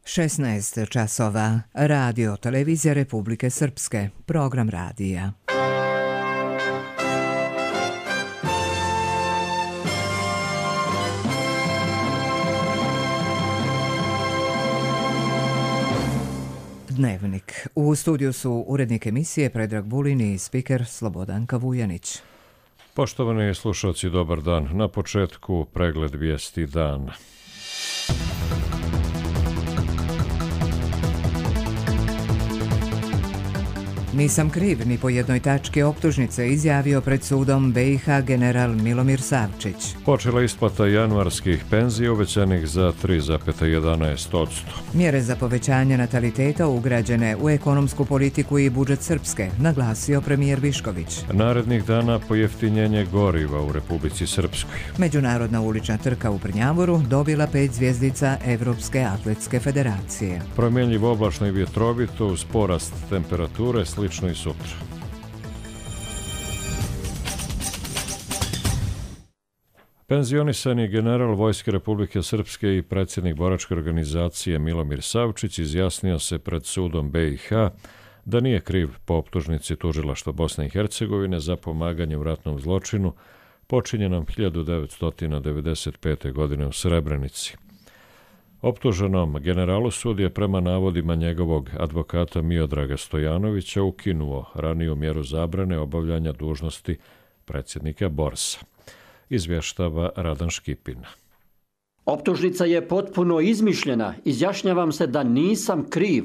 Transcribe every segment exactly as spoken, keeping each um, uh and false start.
šesnaest časova. Radio Televizija Republike Srpske. Program radija. Dnevnik. U studiju su urednik emisije Predrag Vulin i spiker Slobodanka Vujanić. Poštovani slušalci, dobar dan. Na početku pregled vijesti dana. Nisam kriv ni po jednoj tački optužnice, izjavio pred sudom B i H general Milomir Savčić. Počela isplata januarskih penzija uvećanih za tri zarez jedanaest posto. Mjere za povećanje nataliteta ugrađene u ekonomsku politiku i budžet Srpske, naglasio premijer Višković. Narednih dana pojeftinjenje goriva u Republici Srpskoj. Međunarodna ulična trka u Prnjavoru dobila pet zvjezdica Evropske atletske federacije. Promjenjivo oblačno i vjetrovito uz porast temperature, slično i sutra. Penzionisani general Vojske Republike Srpske i predsjednik boračke organizacije Milomir Savčić izjasnio se pred sudom B i H da nije kriv po optužnici tužilaštva Bosne i Hercegovine za pomaganje u ratnom zločinu počinjenom hiljadu devetsto devedeset pete. godine u Srebrenici. Optuženom generalu sud je prema navodima njegovog advokata Miodraga Stojanovića ukinuo raniju mjeru zabrane obavljanja dužnosti predsjednika Borsa. Izvještava Radan Škipin. Optužnica je potpuno izmišljena. Izjašnjavam se da nisam kriv.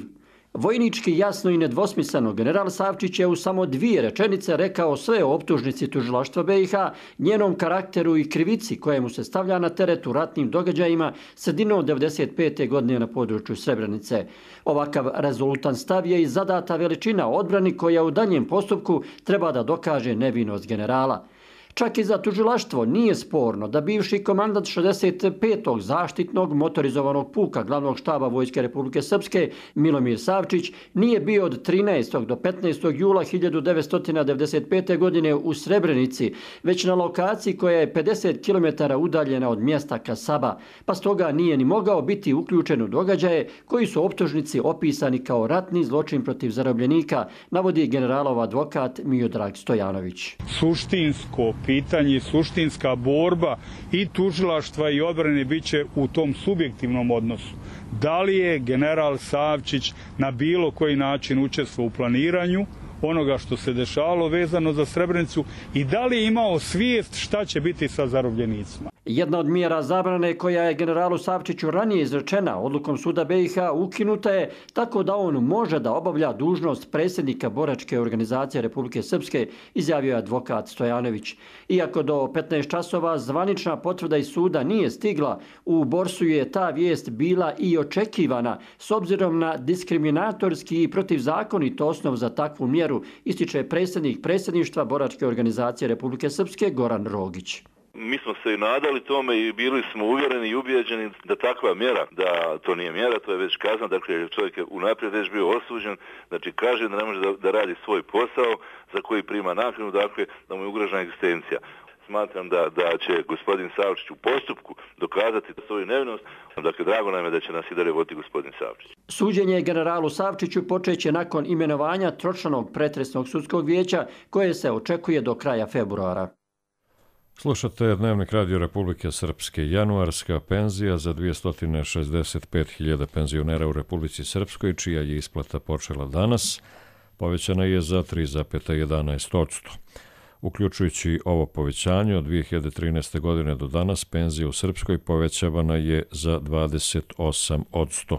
Vojnički jasno i nedvosmisleno general Savčić je u samo dvije rečenice rekao sve o optužnici tužilaštva B i H, njenom karakteru i krivici kojemu se stavlja na teret u ratnim događajima sredinom devedeset pete. godine na području Srebrenice. Ovakav rezultan stav je i zadata veličina odbrani koja u daljem postupku treba da dokaže nevinost generala. Čak i za tužilaštvo nije sporno da bivši komandant šezdeset petog zaštitnog motorizovanog puka glavnog štaba Vojske Republike Srpske Milomir Savčić nije bio od trinaestog do petnaestog jula hiljadu devetsto devedeset pete. godine u Srebrenici, već na lokaciji koja je pedeset kilometara udaljena od mjesta Kasaba, pa stoga nije ni mogao biti uključen u događaje koji su optužnici opisani kao ratni zločin protiv zarobljenika, navodi generalov advokat Miodrag Stojanović. Suštinsko pitanje, suštinska borba i tužilaštva i odbrane biće u tom subjektivnom odnosu. Da li je general Savčić na bilo koji način učestvovao u planiranju onoga što se dešavalo vezano za Srebrenicu i da li je imao svijest šta će biti sa zarobljenicima? Jedna od mjera zabrane koja je generalu Savčiću ranije izrečena odlukom suda B i H ukinuta je tako da on može da obavlja dužnost predsjednika boračke organizacije Republike Srpske, izjavio je advokat Stojanović. Iako do petnaest časova zvanična potvrda iz suda nije stigla, u Borsu je ta vijest bila i očekivana s obzirom na diskriminatorski i protivzakonit osnov za takvu mjeru, ističe predsjednik predsjedništva boračke organizacije Republike Srpske Goran Rogić. Mi smo se i nadali tome i bili smo uvjereni i ubijeđeni da takva mjera, da to nije mjera, to je već kazna, dakle čovjek je unaprijed već bio osuđen, znači kaže da ne može da, da radi svoj posao za koji prima naknadu, dakle da mu je ugrožena egzistencija. Smatram da, da će gospodin Savčić u postupku dokazati svoju nevinost, dakle drago nam je da će nas i dalje voditi gospodin Savčić. Suđenje generalu Savčiću počeće nakon imenovanja tročlanog pretresnog sudskog vijeća koje se očekuje do kraja februara. Slušate Dnevnik Radio Republike Srpske. Januarska penzija za dvjesto šezdeset pet hiljada penzionera u Republici Srpskoj, čija je isplata počela danas, povećana je za tri zarez jedanaest posto. Uključujući ovo povećanje od dvije hiljade trinaeste. godine do danas, penzija u Srpskoj povećavana je za dvadeset osam posto.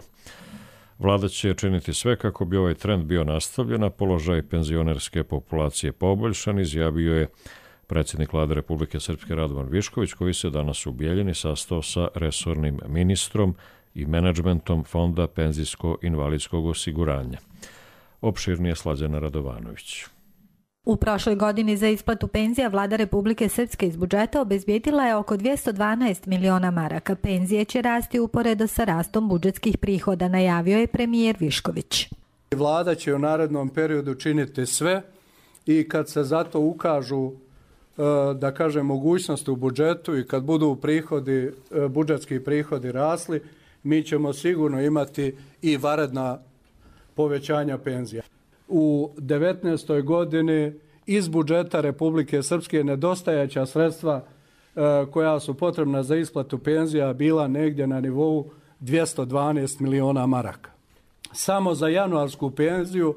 Vlada će činiti sve kako bi ovaj trend bio nastavljen, a položaj penzionerske populacije poboljšan, izjavio je predsjednik Vlade Republike Srpske Radovan Višković, koji se danas u Bijeljini sastao sa resornim ministrom i menadžmentom Fonda penzijsko-invalidskog osiguranja. Opširnije Slađana Radovanović. U prošloj godini za isplatu penzija Vlada Republike Srpske iz budžeta obezbijedila je oko dvjesto dvanaest miliona maraka. Penzije će rasti uporedo sa rastom budžetskih prihoda, najavio je premijer Višković. Vlada će u narednom periodu činiti sve i kad se zato ukažu da kažem mogućnosti u budžetu i kad budu prihodi, budžetski prihodi rasli, mi ćemo sigurno imati i vanredna povećanja penzija. U devetnaestoj godini iz budžeta Republike Srpske nedostajaća sredstva e, koja su potrebna za isplatu penzija bila negdje na nivou dvjesto dvanaest miliona maraka. Samo za januarsku penziju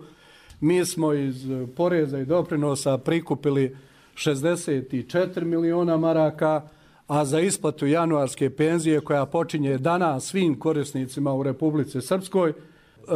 mi smo iz poreza i doprinosa prikupili šezdeset četiri miliona maraka, a za isplatu januarske penzije koja počinje danas svim korisnicima u Republici Srpskoj,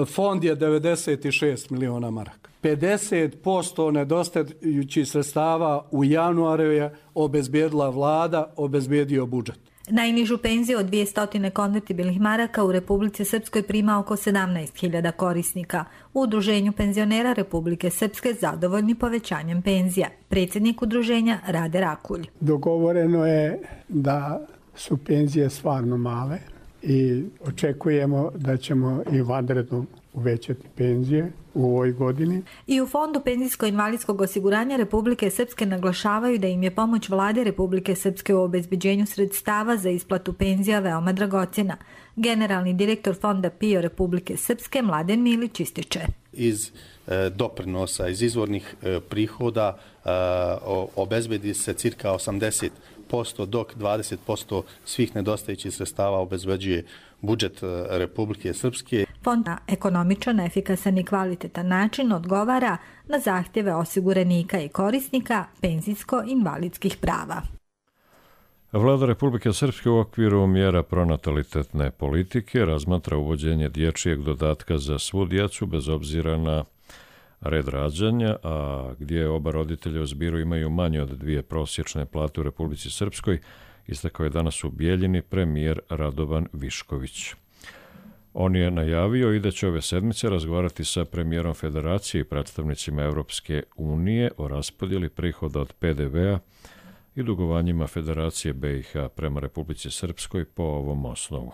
fond je devedeset šest miliona maraka. pedeset posto nedostajućih sredstava u januaru je obezbijedila vlada, obezbijedio budžet. Najnižu penziju od dvjesto konvertibilnih maraka u Republici Srpskoj prima oko sedamnaest hiljada korisnika. U Udruženju penzionera Republike Srpske zadovoljni povećanjem penzija. Predsjednik udruženja Rade Rakulj. Dogovoreno je da su penzije stvarno male i očekujemo da ćemo i vanredno uvećati penzije u ovoj godini. I u Fondu penzijsko-invalidskog osiguranja Republike Srpske naglašavaju da im je pomoć Vlade Republike Srpske u obezbeđenju sredstava za isplatu penzija veoma dragocjena. Generalni direktor Fonda P I O Republike Srpske Mladen Milić ističe. Iz e, doprinosa, iz izvornih e, prihoda e, obezbedi se cirka osamdeset posto, dok dvadeset posto svih nedostajućih sredstava obezbeđuje budžet Republike Srpske. Fond na ekonomičan, efikasan i kvalitetan način odgovara na zahtjeve osiguranika i korisnika penzijsko-invalidskih prava. Vlada Republike Srpske u okviru mjera pronatalitetne politike razmatra uvođenje dječjeg dodatka za svu djecu bez obzira na red rađanja, a gdje oba roditelja u zbiru imaju manje od dvije prosječne plate u Republici Srpskoj, istakao je danas u Bijeljini premijer Radovan Višković. On je najavio i da će ove sedmice razgovarati sa premijerom Federacije i predstavnicima Europske unije o raspodjeli prihoda od P D V-a i dugovanjima Federacije B i H prema Republici Srpskoj po ovom osnovu.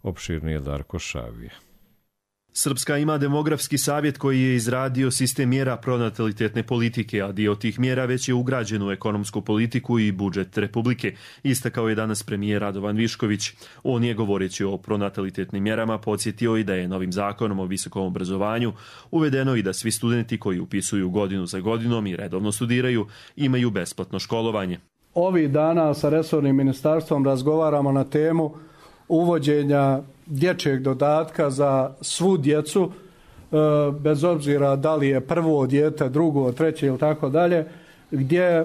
Opširnije Darko Šavije. Srpska ima demografski savjet koji je izradio sistem mjera pronatalitetne politike, a dio tih mjera već je ugrađen u ekonomsku politiku i budžet Republike, istakao je danas premijer Radovan Višković. On je, govoreći o pronatalitetnim mjerama, podsjetio i da je novim zakonom o visokom obrazovanju uvedeno i da svi studenti koji upisuju godinu za godinom i redovno studiraju imaju besplatno školovanje. Ovih dana sa resornim ministarstvom razgovaramo na temu uvođenja dječjeg dodatka za svu djecu, bez obzira da li je prvo dijete, drugo, treće ili tako dalje, gdje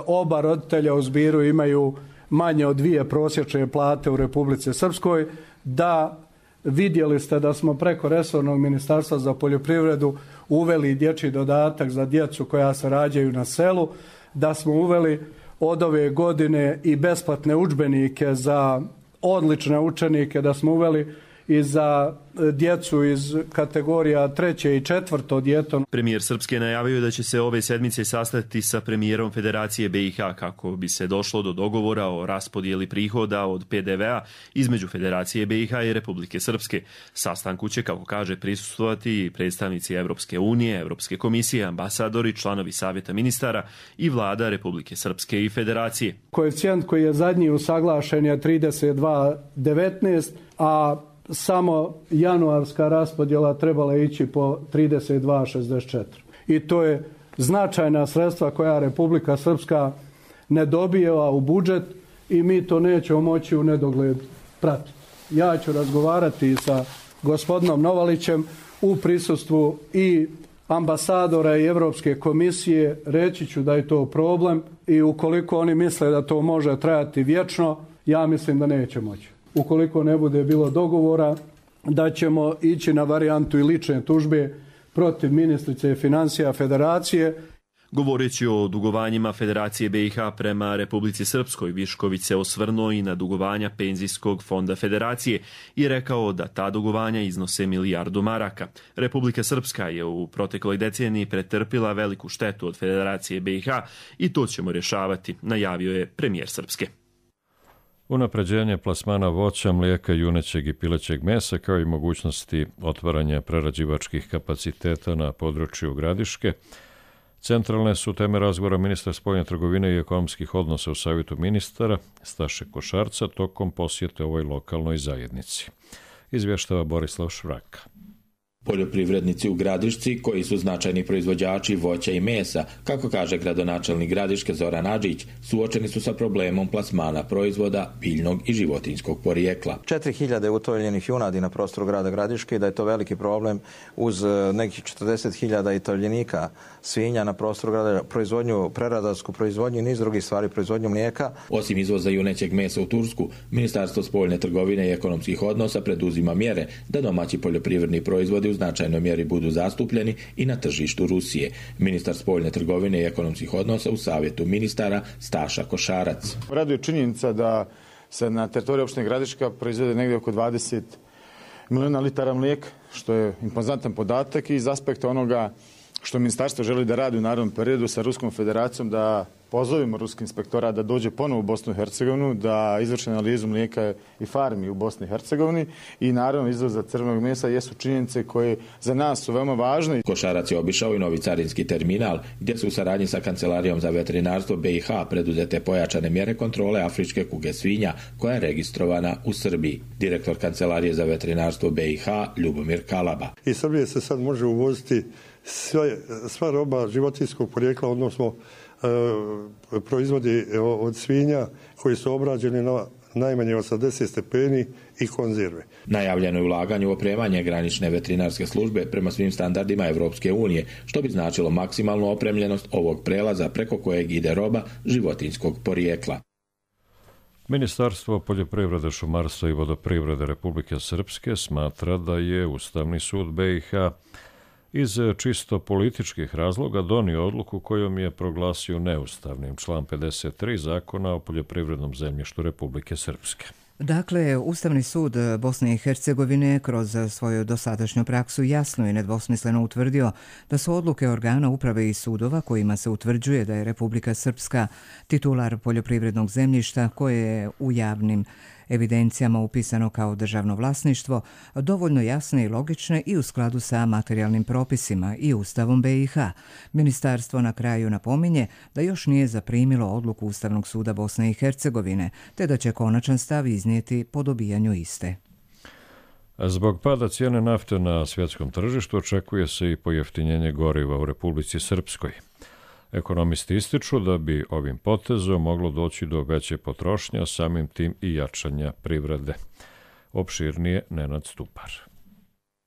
oba roditelja u zbiru imaju manje od dvije prosječne plate u Republici Srpskoj, da vidjeli ste da smo preko resornog ministarstva za poljoprivredu uveli dječji dodatak za djecu koja se rađaju na selu, da smo uveli od ove godine i besplatne udžbenike za odlične učenike, da smo uveli i za djecu iz kategorija treće i četvrto dijete. Premijer Srpske najavio da će se ove sedmice sastati sa premijerom Federacije B i H kako bi se došlo do dogovora o raspodjeli prihoda od P D V-a između Federacije B i H i Republike Srpske. Sastanku će, kako kaže, prisustvovati i predstavnici Evropske unije, Evropske komisije, ambasadori, članovi Savjeta ministara i vlada Republike Srpske i Federacije. Koeficijent koji je zadnji usaglašen je trideset dva devetnaest, a samo januarska raspodjela trebala ići po trideset dva šezdeset četiri. I to je značajna sredstva koja Republika Srpska ne dobijeva u budžet i mi to nećemo moći u nedogled pratiti. Ja ću razgovarati sa gospodinom Novalićem u prisustvu i ambasadora i Europske komisije, reći ću da je to problem i ukoliko oni misle da to može trajati vječno, ja mislim da neće moći. Ukoliko ne bude bilo dogovora, da ćemo ići na varijantu i lične tužbe protiv ministrice financija Federacije. Govoreći o dugovanjima Federacije B i H prema Republici Srpskoj, Višković se osvrnuo i na dugovanja Penzijskog fonda Federacije i rekao da ta dugovanja iznose milijardu maraka. Republika Srpska je u protekloj deceniji pretrpila veliku štetu od Federacije B i H i to ćemo rješavati, najavio je premijer Srpske. Unapređenje plasmana voća, mlijeka, junećeg i pilećeg mesa, kao i mogućnosti otvaranja prerađivačkih kapaciteta na području Gradiške, Centralne su teme razgovora ministra spoljne trgovine i ekonomskih odnosa u Savjetu ministara Staše Košarca tokom posjete ovoj lokalnoj zajednici. Izvještava Borislav Švraka. Poljoprivrednici u Gradišci, koji su značajni proizvođači voća i mesa, kako kaže gradonačelnik Gradiške Zoran Adžić, suočeni su sa problemom plasmana proizvoda biljnog i životinjskog porijekla. četiri hiljade utovljenih junadi na prostoru grada Gradiške i da je to veliki problem uz nekih četrdeset hiljada i tovljenika svinja na prostoru grada, proizvodnju, preradarsku proizvodnju i niz drugih stvari, proizvodnju mlijeka. Osim izvoza junećeg mesa u Tursku, Ministarstvo spoljne trgovine i ekonomskih odnosa preduzima mjere da domaći poljoprivredni proizvodi u značajnoj mjeri budu zastupljeni i na tržištu Rusije. Ministar spoljne trgovine i ekonomskih odnosa u Savjetu ministara Staša Košarac. Raduje činjenica da se na teritoriji opštine Gradiška proizvede negdje oko dvadeset milijuna litara mlijeka, što je impozantan podatak i iz aspekta onoga što ministarstvo želi da radi u narednom periodu sa Ruskom federacijom, da pozovimo ruski inspektorat da dođe ponovo u Bosnu i Hercegovinu, da izvrši analizu mlijeka i farmi u Bosni i Hercegovini i naravno izvoza crvenog mesa jesu činjenice koje za nas su veoma važne. Košarac je obišao i novi carinski terminal, gdje su u saradnji sa Kancelarijom za veterinarstvo B i H preduzete pojačane mjere kontrole afričke kuge svinja, koja je registrovana u Srbiji. Direktor Kancelarije za veterinarstvo B i H Ljubomir Kalaba. Iz Srbije se sad može uvoziti sve, sva roba životinjskog porijekla, odnosno e, proizvodi od svinja koji su obrađeni na najmanje osamdeset stepeni i konzerve. Najavljeno je ulaganje u opremanje granične veterinarske službe prema svim standardima Evropske unije, što bi značilo maksimalnu opremljenost ovog prelaza preko kojeg ide roba životinjskog porijekla. Ministarstvo poljoprivrede, šumarstva i vodoprivrede Republike Srpske smatra da je Ustavni sud B i H iz čisto političkih razloga donio odluku kojom je proglasio neustavnim član pedeset tri Zakona o poljoprivrednom zemljištu Republike Srpske. Dakle, Ustavni sud Bosne i Hercegovine kroz svoju dosadašnju praksu jasno i nedvosmisleno utvrdio da su odluke organa uprave i sudova kojima se utvrđuje da je Republika Srpska titular poljoprivrednog zemljišta koje je u javnim evidencijama upisano kao državno vlasništvo, dovoljno jasne i logične i u skladu sa materijalnim propisima i Ustavom B i H. Ministarstvo na kraju napominje da još nije zaprimilo odluku Ustavnog suda Bosne i Hercegovine, te da će konačan stav iznijeti po dobijanju iste. Zbog pada cijene nafte na svjetskom tržištu očekuje se i pojeftinjenje goriva u Republici Srpskoj. Ekonomisti ističu da bi ovim potezom moglo doći do veće potrošnje, a samim tim i jačanja privrede. Opširnije Nenad Stupar.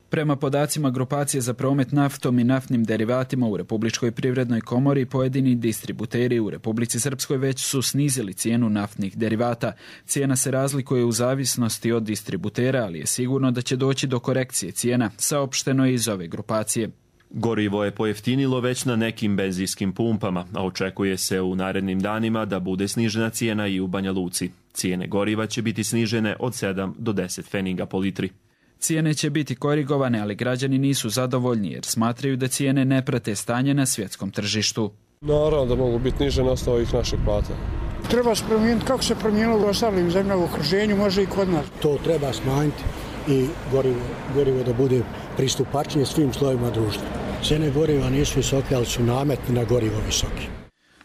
Prema podacima grupacije za promet naftom i naftnim derivatima u Republičkoj privrednoj komori, pojedini distributeri u Republici Srpskoj već su snizili cijenu naftnih derivata. Cijena se razlikuje u zavisnosti od distributera, ali je sigurno da će doći do korekcije cijena, saopšteno je iz ove grupacije. Gorivo je pojeftinilo već na nekim benzinskim pumpama, a očekuje se u narednim danima da bude snižena cijena i u Banja Luci. Cijene goriva će biti snižene od sedam do deset pfeniga po litri. Cijene će biti korigovane, ali građani nisu zadovoljni jer smatraju da cijene ne prate stanje na svjetskom tržištu. Naravno da mogu biti niže na osnovu ovih naših plata. Treba se promijeniti kako se promijenilo u ostalim zemljama u okruženju, može i kod nas. To treba smanjiti i gorivo, gorivo da bude pristupačnije svim slojevima društva. Cijene goriva nisu visoke, ali su nameti na gorivo visoki.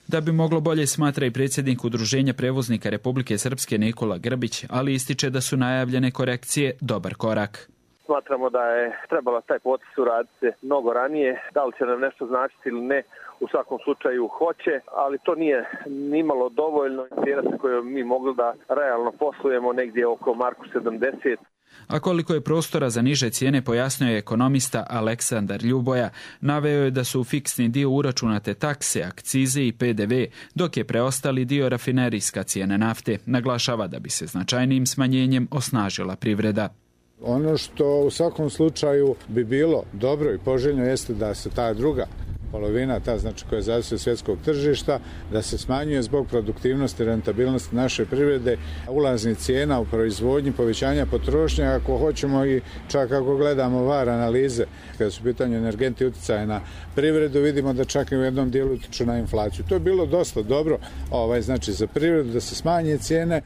Da bi moglo bolje, smatra i predsjednik Udruženja prevoznika Republike Srpske Nikola Grbić, ali ističe da su najavljene korekcije dobar korak. Smatramo da je trebalo taj potez uraditi mnogo ranije, da li će nam nešto značiti ili ne, u svakom slučaju hoće, ali to nije nimalo dovoljno. Cijena sa kojom mi mogli da realno poslujemo negdje oko marku sedamdeset. A koliko je prostora za niže cijene, pojasnio je ekonomista Aleksandar Ljuboja. Naveo je da su u fiksni dio uračunate takse, akcize i P D V, dok je preostali dio rafinerijska cijena nafte. Naglašava da bi se značajnijim smanjenjem osnažila privreda. Ono što u svakom slučaju bi bilo dobro i poželjno jeste da se ta druga polovina, ta znači koja zavisi od svjetskog tržišta, da se smanjuje zbog produktivnosti i rentabilnosti naše privrede, ulaznih cijena u proizvodnji, povećanja potrošnje, ako hoćemo i čak ako gledamo var analize, kada su pitanje energenti utjecaja na privredu, vidimo da čak i u jednom dijelu utječu na inflaciju. To je bilo dosta dobro, ovaj, znači za privredu da se smanje cijene.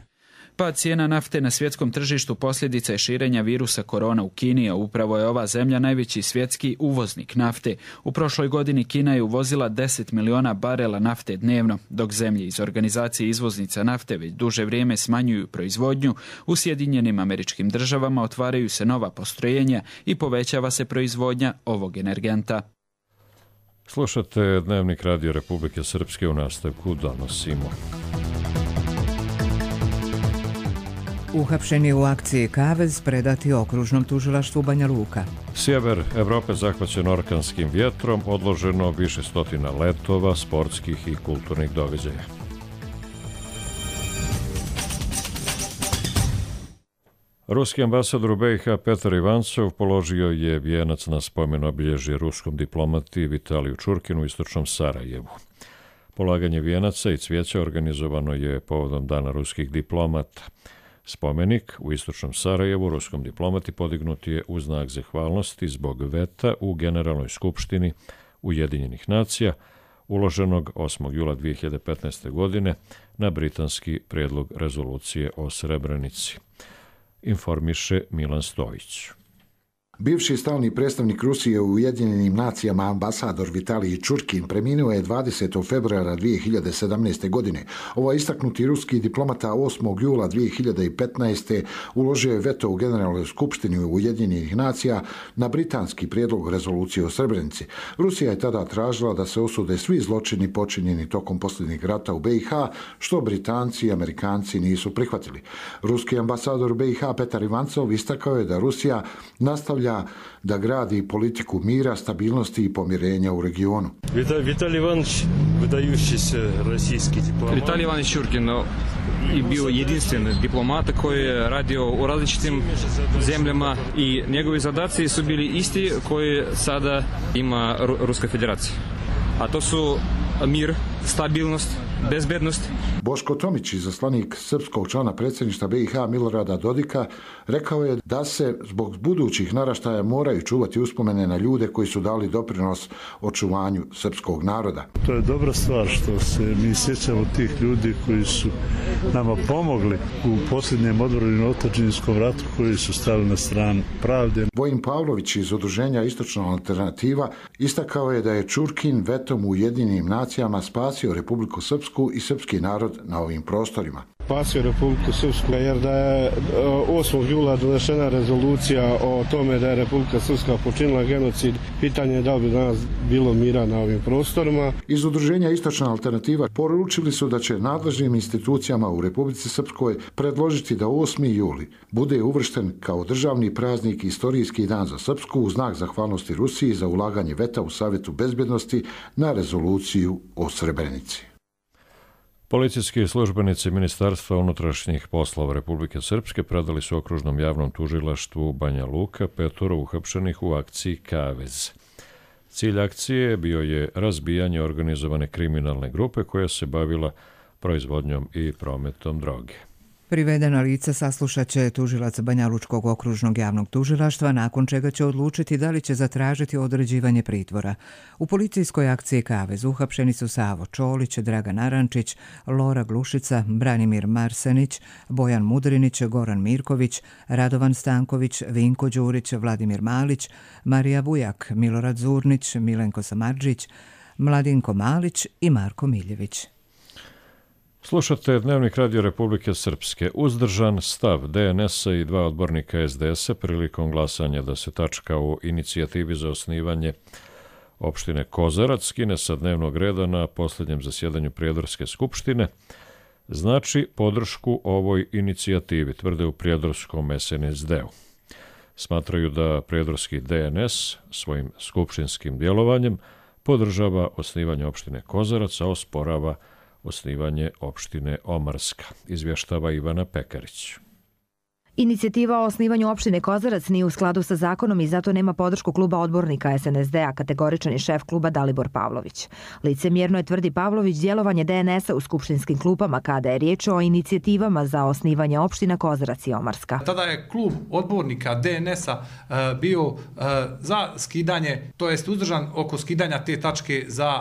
Pad cijena nafte na svjetskom tržištu posljedica je širenja virusa korona u Kini, a upravo je ova zemlja najveći svjetski uvoznik nafte. U prošloj godini Kina je uvozila deset miliona barela nafte dnevno, dok zemlje iz organizacije izvoznica nafte već duže vrijeme smanjuju proizvodnju. U Sjedinjenim Američkim Državama otvaraju se nova postrojenja i povećava se proizvodnja ovog energenta. Slušate Dnevnik Radio Republike Srpske, u nastavku donosimo. Uhapšeni u akciji Kavez predati okružnom tužilaštvu Banja Luka. Sjever Evrope zahvaćen orkanskim vjetrom, odloženo više stotina letova, sportskih i kulturnih događaja. Ruski ambasador u B i H Petar Ivancov položio je vijenac na spomen obilježje ruskom diplomati Vitaliju Čurkinu u istočnom Sarajevu. Polaganje vijenaca i cvijeća organizovano je povodom Dana ruskih diplomata. Spomenik u istočnom Sarajevu ruskom diplomati podignut je u znak zahvalnosti zbog veta u Generalnoj skupštini Ujedinjenih nacija uloženog osmog jula dvije hiljade petnaeste. godine na britanski prijedlog rezolucije o Srebrenici. Informiše Milan Stojić. Bivši stalni predstavnik Rusije u Ujedinjenim nacijama ambasador Vitalij Čurkin preminuo je dvadesetog februara dvije hiljade sedamnaeste. godine. Ovaj istaknuti ruski diplomata osmog jula dvije hiljade petnaeste. uložio je veto u Generalnoj skupštini Ujedinjenih nacija na britanski prijedlog rezolucije o Srebrenici. Rusija je tada tražila da se osude svi zločini počinjeni tokom posljednjeg rata u B i H, što Britanci i Amerikanci nisu prihvatili. Ruski ambasador u B i H Petar Ivancov istakao je da Rusija nastavlja da gradi politiku mira, stabilnosti i pomirenja u regionu. Vitalij Ivanović, vydajući se российski diplomat. Vitalij Ivanović Čurkin je bio jedinstven diplomat koji je radio u različitim zemljama i njegovi zadaci su bili isti koji sada ima Ruska federacija. A to su mir, stabilnost, bezbednost. Boško Tomić, izaslanik srpskog člana predsjedništva B i H Milorada Dodika, rekao je da se zbog budućih naraštaja moraju čuvati uspomene na ljude koji su dali doprinos očuvanju srpskog naroda. To je dobra stvar što se mi sjećamo tih ljudi koji su nama pomogli u posljednjem odvorenom otadžbinskom ratu, koji su stali na stranu pravde. Vojin Pavlović iz udruženja Istočna alternativa istakao je da je Čurkin vetom u Ujedinjenim nacijama spasio Republiku Srpsku i srpski narod na ovim prostorima. Spasio Republiku Srpsku jer da je osmog jula donešena rezolucija o tome da je Republika Srpska počinila genocid. Pitanje je da li bi danas bilo mira na ovim prostorima. Iz udruženja Istočna alternativa poručili su da će nadležnim institucijama u Republici Srpskoj predložiti da osmi juli bude uvršten kao državni praznik i istorijski dan za Srpsku u znak zahvalnosti Rusiji za ulaganje veta u Savjetu bezbjednosti na rezoluciju o Srebrenici. Policijski službenici Ministarstva unutrašnjih poslova Republike Srpske predali su okružnom javnom tužilaštvu Banja Luka petoro uhapšenih u akciji Kavez. Cilj akcije bio je razbijanje organizovane kriminalne grupe koja se bavila proizvodnjom i prometom droge. Privedena lica saslušat će tužilac Banjalučkog okružnog javnog tužilaštva, nakon čega će odlučiti da li će zatražiti određivanje pritvora. U policijskoj akciji Kavez uhapšeni su Savo Čolić, Dragan Arančić, Lora Glušica, Branimir Marsenić, Bojan Mudrinić, Goran Mirković, Radovan Stanković, Vinko Đurić, Vladimir Malić, Marija Vujak, Milorad Zurnić, Milenko Samardžić, Mladinko Malić i Marko Miljević. Slušate Dnevnik Radio Republike Srpske. Uzdržan stav D N S-a i dva odbornika S D S-a prilikom glasanja da se tačka o inicijativi za osnivanje opštine Kozarac skine sa dnevnog reda na posljednjem zasjedanju Prijedorske skupštine, znači podršku ovoj inicijativi, tvrde u prijedorskom S N S D-u. Smatraju da prijedorski D N S svojim skupštinskim djelovanjem podržava osnivanje opštine Kozarac, a osporava osnivanje opštine Omarska, izvještava Ivana Pekarić. Inicijativa o osnivanju opštine Kozarac nije u skladu sa zakonom i zato nema podršku kluba odbornika S N S D-a, kategoričan je šef kluba Dalibor Pavlović. Licemjerno je, tvrdi Pavlović, djelovanje D N S-a u skupštinskim klupama kada je riječ o inicijativama za osnivanje opština Kozarac i Omarska. Tada je klub odbornika D N S-a bio za skidanje, to jest uzdržan oko skidanja te tačke za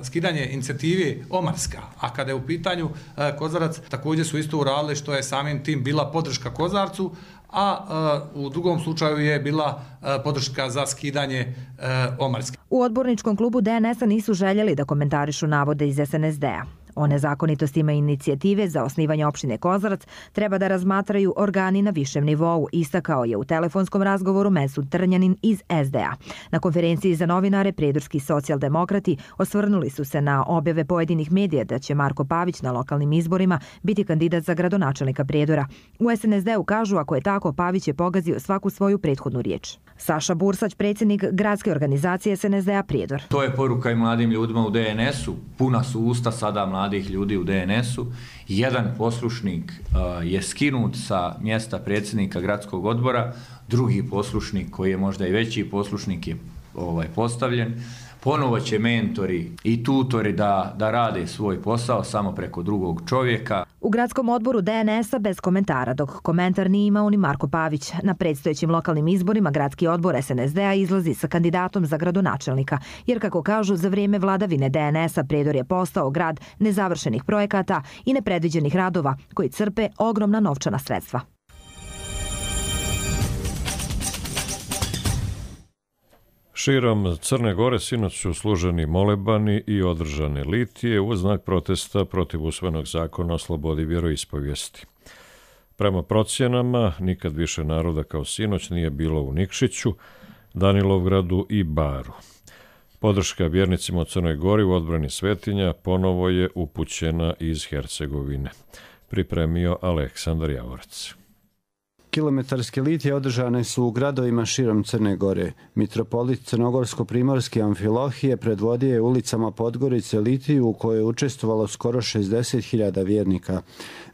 skidanje inicijative Omarska. A kada je u pitanju Kozarac, također su isto uradili što je samim tim bila podrška Kozarcu, a u drugom slučaju je bila podrška za skidanje Omarske. U odborničkom klubu D N S-a nisu željeli da komentarišu navode iz S N S D-a. O nezakonitostima inicijative za osnivanje opštine Kozarac treba da razmatraju organi na višem nivou, istakao je u telefonskom razgovoru Mesud Trnjanin iz S D A. Na konferenciji za novinare prijedorski socijaldemokrati osvrnuli su se na objave pojedinih medija da će Marko Pavić na lokalnim izborima biti kandidat za gradonačelnika Prijedora. U S N S D-u kažu ako je tako, Pavić je pogazio svaku svoju prethodnu riječ. Saša Bursać, predsjednik gradske organizacije S N S D-a Prijedor. To je poruka i mladim ljudima u D N S-u. Puna su usta sada mladih ljudi u D N S-u. Jedan poslušnik uh, je skinut sa mjesta predsjednika gradskog odbora, drugi poslušnik koji je možda i veći poslušnik je ovaj, postavljen. Ponovo će mentori i tutori da, da rade svoj posao samo preko drugog čovjeka. U gradskom odboru D N S-a bez komentara, dok komentar nije imao ni Marko Pavić. Na predstojećim lokalnim izborima gradski odbor S N S D-a izlazi sa kandidatom za gradonačelnika, jer kako kažu, za vrijeme vladavine D N S-a Prijedor je postao grad nezavršenih projekata i nepredviđenih radova koji crpe ogromna novčana sredstva. Širom Crne Gore sinoć su služeni molebani i održane litije u znak protesta protiv usvojenog zakona o slobodi vjeroispovijesti. Prema procjenama, nikad više naroda kao sinoć nije bilo u Nikšiću, Danilovgradu i Baru. Podrška vjernicima u Crnoj Gori u odbrani svetinja ponovo je upućena iz Hercegovine. Pripremio Aleksandar Javorac. Kilometarske litije održane su u gradovima širom Crne Gore. Mitropolit Crnogorsko-primorski Amfilohije predvodio je ulicama Podgorice litiju u kojoj je učestvovalo skoro šezdeset hiljada vjernika.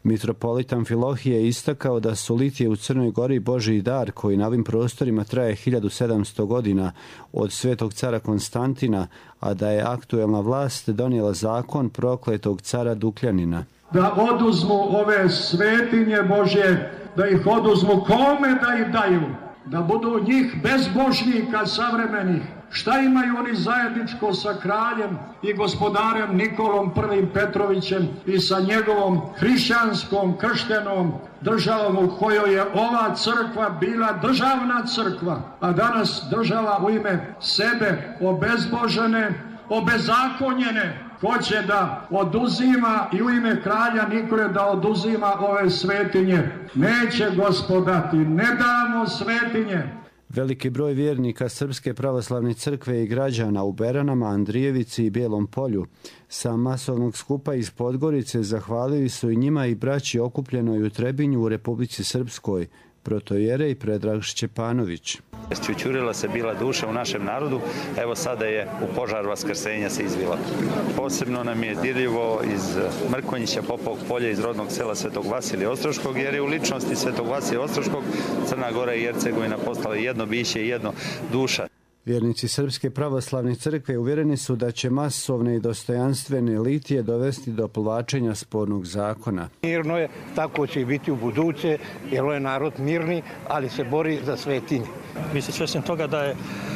Mitropolit Amfilohije je istakao da su litije u Crnoj Gori Božji dar koji na ovim prostorima traje hiljadu sedamsto godina od svetog cara Konstantina, a da je aktuelna vlast donijela zakon prokletog cara Dukljanina. Da oduzmu ove svetinje Božje, da ih oduzmu, kome da ih daju, da budu njih bezbožnika savremenih. Šta imaju oni zajedničko sa kraljem i gospodarem Nikolom prvim Petrovićem i sa njegovom hrišćanskom krštenom državom u kojoj je ova crkva bila državna crkva, a danas država u ime sebe obezbožene, obezakonjene, hoće da oduzima i u ime kralja Nikole da oduzima ove svetinje. Neće gospodati, ne damo svetinje. Veliki broj vjernika Srpske pravoslavne crkve i građana u Beranama, Andrijevici i Bijelom polju sa masovnog skupa iz Podgorice zahvalili su i njima i braći okupljenoj u Trebinju u Republici Srpskoj, protojerej Predrag Šćepanović. Čučurila se bila duša u našem narodu, evo sada je u požar vaskrsenja se izvila. Posebno nam je dirljivo iz Mrkonjića, Popovog polja, iz rodnog sela Svetog Vasilija Ostroškog, jer je u ličnosti Svetog Vasilija Ostroškog Crna Gora i Hercegovina postala jedno biće i jedno duša. Vjernici Srpske pravoslavne crkve uvjereni su da će masovne i dostojanstvene litije dovesti do povlačenja spornog zakona. Mirno je, tako će i biti u buduće, jer je narod mirni, ali se bori za svetinje. Vi ste svjesni toga da je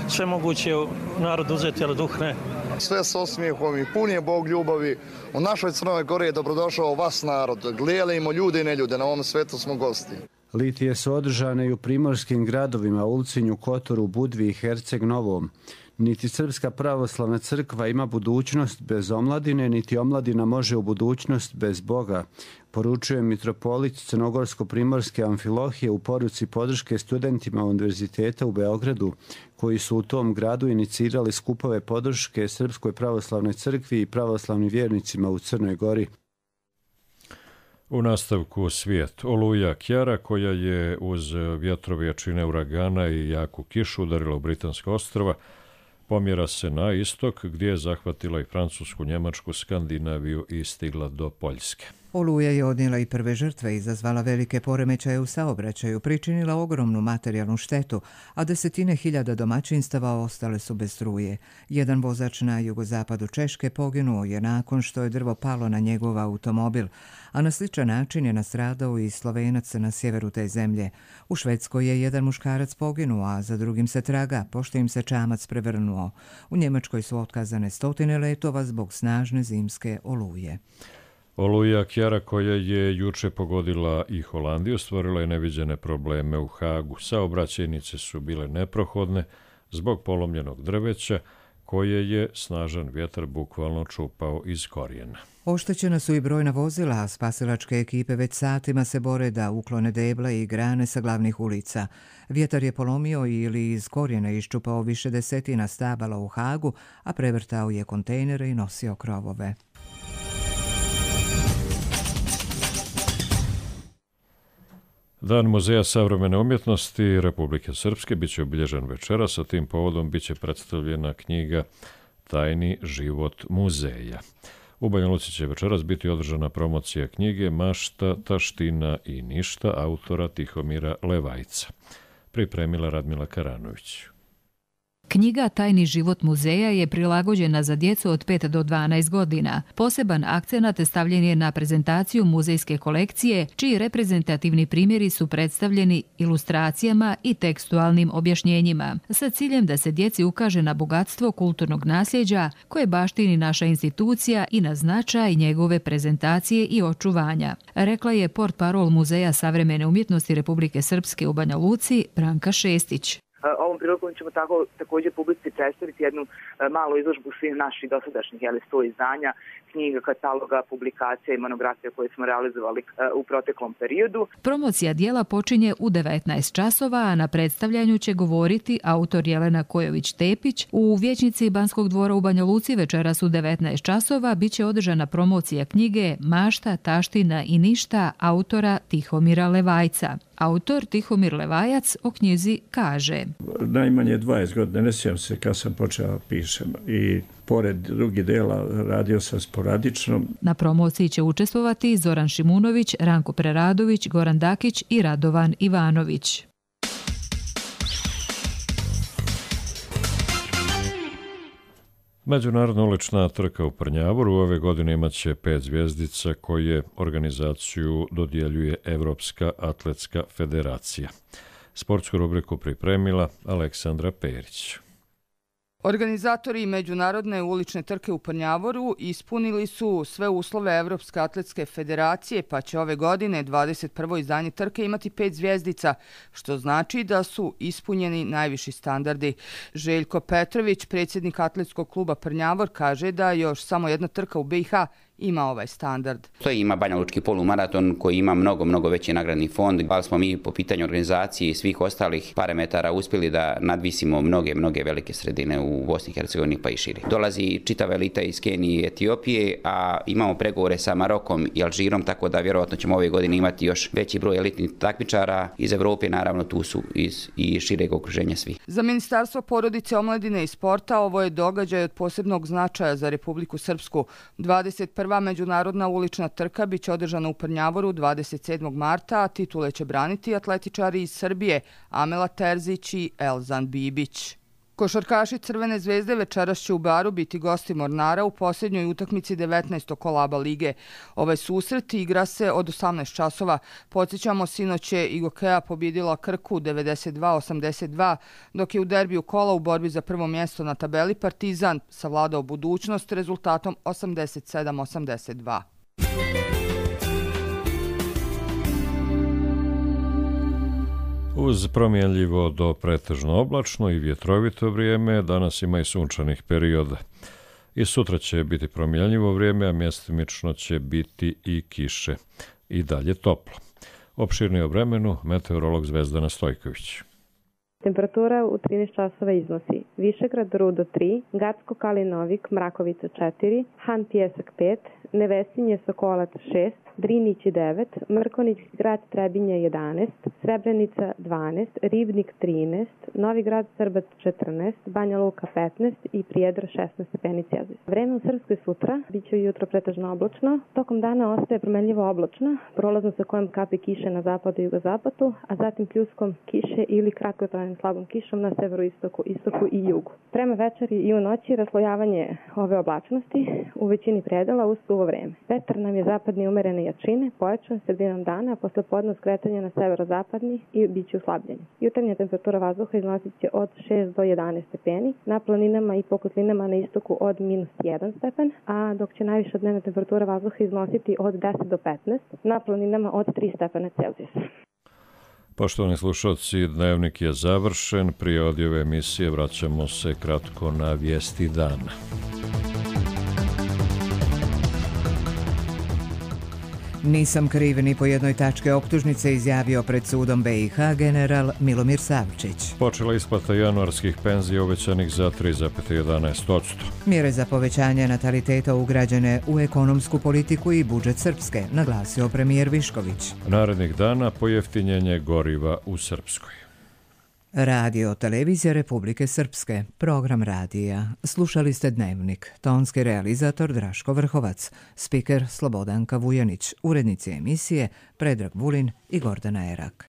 sve moguće narod uzeti, ali duh ne. Sve s osmijehom i pun je Bog ljubavi. U našoj Crnoj Gori je dobrodošao vas narod. Gledajmo ljude i neljude, na ovom svetu smo gosti. Litije su održane i u primorskim gradovima Ulcinju, Kotoru, Budvi i Herceg Novom. Niti Srpska pravoslavna crkva ima budućnost bez omladine, niti omladina može u budućnost bez Boga, poručuje mitropolit Crnogorsko-primorske Amfilohije u poruci podrške studentima Univerziteta u Beogradu, koji su u tom gradu inicirali skupove podrške Srpskoj pravoslavnoj crkvi i pravoslavnim vjernicima u Crnoj Gori. U nastavku svijet. Oluja Kjara, koja je uz vjetrove jačine uragana i jaku kišu udarila u Britanska ostrva, pomjera se na istok, gdje je zahvatila i Francusku, Njemačku, Skandinaviju i stigla do Poljske. Oluja je odnijela i prve žrtve, izazvala velike poremećaje u saobraćaju, pričinila ogromnu materijalnu štetu, a desetine hiljada domaćinstava ostale su bez struje. Jedan vozač na jugozapadu Češke poginuo je nakon što je drvo palo na njegov automobil, a na sličan način je nastradao i Slovenac na sjeveru te zemlje. U Švedskoj je jedan muškarac poginuo, a za drugim se traga, pošto im se čamac prevrnuo. U Njemačkoj su otkazane stotine letova zbog snažne zimske oluje. Oluja Kjara, koja je juče pogodila i Holandiju, stvorila je neviđene probleme u Hagu. Saobraćajnice su bile neprohodne zbog polomljenog drveća, koje je snažan vjetar bukvalno čupao iz korijena. Oštećena su i brojna vozila, a spasilačke ekipe već satima se bore da uklone deble i grane sa glavnih ulica. Vjetar je polomio ili iz korijena iščupao više desetina stabala u Hagu, a prevrtao je kontejnere i nosio krovove. Dan Muzeja savremene umjetnosti Republike Srpske biće obilježen večeras, sa tim povodom biće predstavljena knjiga Tajni život muzeja. U Banja Luci će večeras biti održana promocija knjige Mašta, taština i ništa autora Tihomira Levajca. Pripremila Radmila Karanović. Knjiga Tajni život muzeja je prilagođena za djecu od pet do dvanaest godina. Poseban akcenat stavljen je na prezentaciju muzejske kolekcije, čiji reprezentativni primjeri su predstavljeni ilustracijama i tekstualnim objašnjenjima, sa ciljem da se djeci ukaže na bogatstvo kulturnog nasljeđa koje baštini naša institucija i na značaj njegove prezentacije i očuvanja, rekla je portparol Muzeja savremene umjetnosti Republike Srpske u Banja Luci Branka Šestić. Ovom prilikom ćemo tako, također publici predstaviti jednu malu izložbu svih naših dosadašnjih jeli, sto izdanja, knjiga, kataloga, publikacija i monografija koje smo realizovali u proteklom periodu. Promocija dijela počinje u devetnaest časova, a na predstavljanju će govoriti autor Jelena Kojović-Tepić. U Vijećnici Banskog dvora u Banja Luci večeras u devetnaest časova biće održana promocija knjige Mašta, taština i ništa autora Tihomira Levajca. Autor Tihomir Levajac o knjizi kaže: Najmanje dvadeset godina, ne sjećam se kad sam počeo pišem i pored drugih dela radio sam sporadično. Na promociji će učestvovati Zoran Šimunović, Ranko Preradović, Goran Dakić i Radovan Ivanović. Međunarodna ulična trka u Prnjavoru ove godine imaće pet zvjezdica koje organizaciju dodjeljuje Evropska atletska federacija. Sportsku rubriku pripremila Aleksandra Perić. Organizatori Međunarodne ulične trke u Prnjavoru ispunili su sve uslove Evropske atletske federacije, pa će ove godine dvadeset prvo izdanje trke imati pet zvjezdica, što znači da su ispunjeni najviši standardi. Željko Petrović, predsjednik atletskog kluba Prnjavor, kaže da još samo jedna trka u B i H ima ovaj standard. To ima Banja Lučki polumaraton koji ima mnogo, mnogo veći nagradni fond, ali smo mi po pitanju organizacije i svih ostalih parametara uspjeli da nadvisimo mnoge, mnoge velike sredine u Bosni i Hercegovini pa i širi. Dolazi čitava elita iz Kenije i Etiopije, a imamo pregovore sa Marokom i Alžirom, tako da vjerojatno ćemo ove godine imati još veći broj elitnih takmičara iz Evrope, naravno tu su iz i šireg okruženja svi. Za Ministarstvo porodice, omladine i sporta ovo je događaj od posebnog značaja za Republiku Srpsku. dvadeset prva međunarodna ulična trka biće održana u Prnjavoru dvadeset sedmog marta, a titule će braniti atletičari iz Srbije Amela Terzić i Elzan Bibić. Košarkaši Crvene zvezde večeras će u Baru biti gosti Mornara u posljednjoj utakmici devetnaestog kola A B A lige. Ovaj susret igra se od osamnaest časova. Podsjećamo, sinoć je Igokea pobjedila Krku devedeset dva osamdeset dva, dok je u derbiju kola u borbi za prvo mjesto na tabeli Partizan savladao budućnost rezultatom osamdeset sedam osamdeset dva. Uz promjenljivo do pretežno oblačno i vjetrovito vrijeme, danas ima i sunčanih perioda. I sutra će biti promjenljivo vrijeme, a mjestimično će biti i kiše. I dalje toplo. Opširnije o vremenu meteorolog Zvezdana Stojković. Temperatura u trinaest časova iznosi Višegrad Rudo tri, Gacko Kalinovik Mrakovica četiri, Han Pjesak pet, Nevesinje Sokolac šest, Drinić devet, Mrkonjić grad Trebinje jedanaest, Srebrenica dvanaest, Ribnik trinaest, Novi grad Srbac četrnaest, Banja Luka petnaest i Prijedor šesnaest stepeni Celzijusa. Vreme u Srpskoj sutra biće jutro pretežno oblačno, tokom dana ostaje promenljivo oblačno, prolazno sa kojom kapi kiše na zapadu i jugozapadu, a zatim pljuskom kiše ili kratkotrajnim slabom kišom na severoistoku, istoku i jugu. Prema večeri i u noći raslojavanje ove oblačnosti u većini predela uz suvo vreme. Vetar nam je zapadni umerene jačine, pojačan sredinom dana, a posle podne skretanje na severozapadni i bit će uslabljenje. Jutarnja temperatura vazduha iznosit će od šest do jedanaest stepeni, na planinama i pokotlinama na istoku od minus jedan stepen, a dok će najviša dnevna temperatura vazduha iznositi od deset do petnaest, na planinama od tri stepena Celzijusa. Poštovani slušalci, dnevnik je završen. Prije odjave emisije vraćamo se kratko na vijesti dana. Nisam kriv ni po jednoj tačke optužnice, izjavio pred sudom B i H general Milomir Savčić. Počela isplata januarskih penzija uvećanih za tri zarez jedanaest posto. Mjere za povećanje nataliteta ugrađene u ekonomsku politiku i budžet Srpske, naglasio premijer Višković. Narednih dana pojeftinjenje goriva u Srpskoj. Radio Televizija Republike Srpske, program radija. Slušali ste Dnevnik, tonski realizator Draško Vrhovac, spiker Slobodanka Vujanić, urednici emisije Predrag Vulin i Gordana Erak.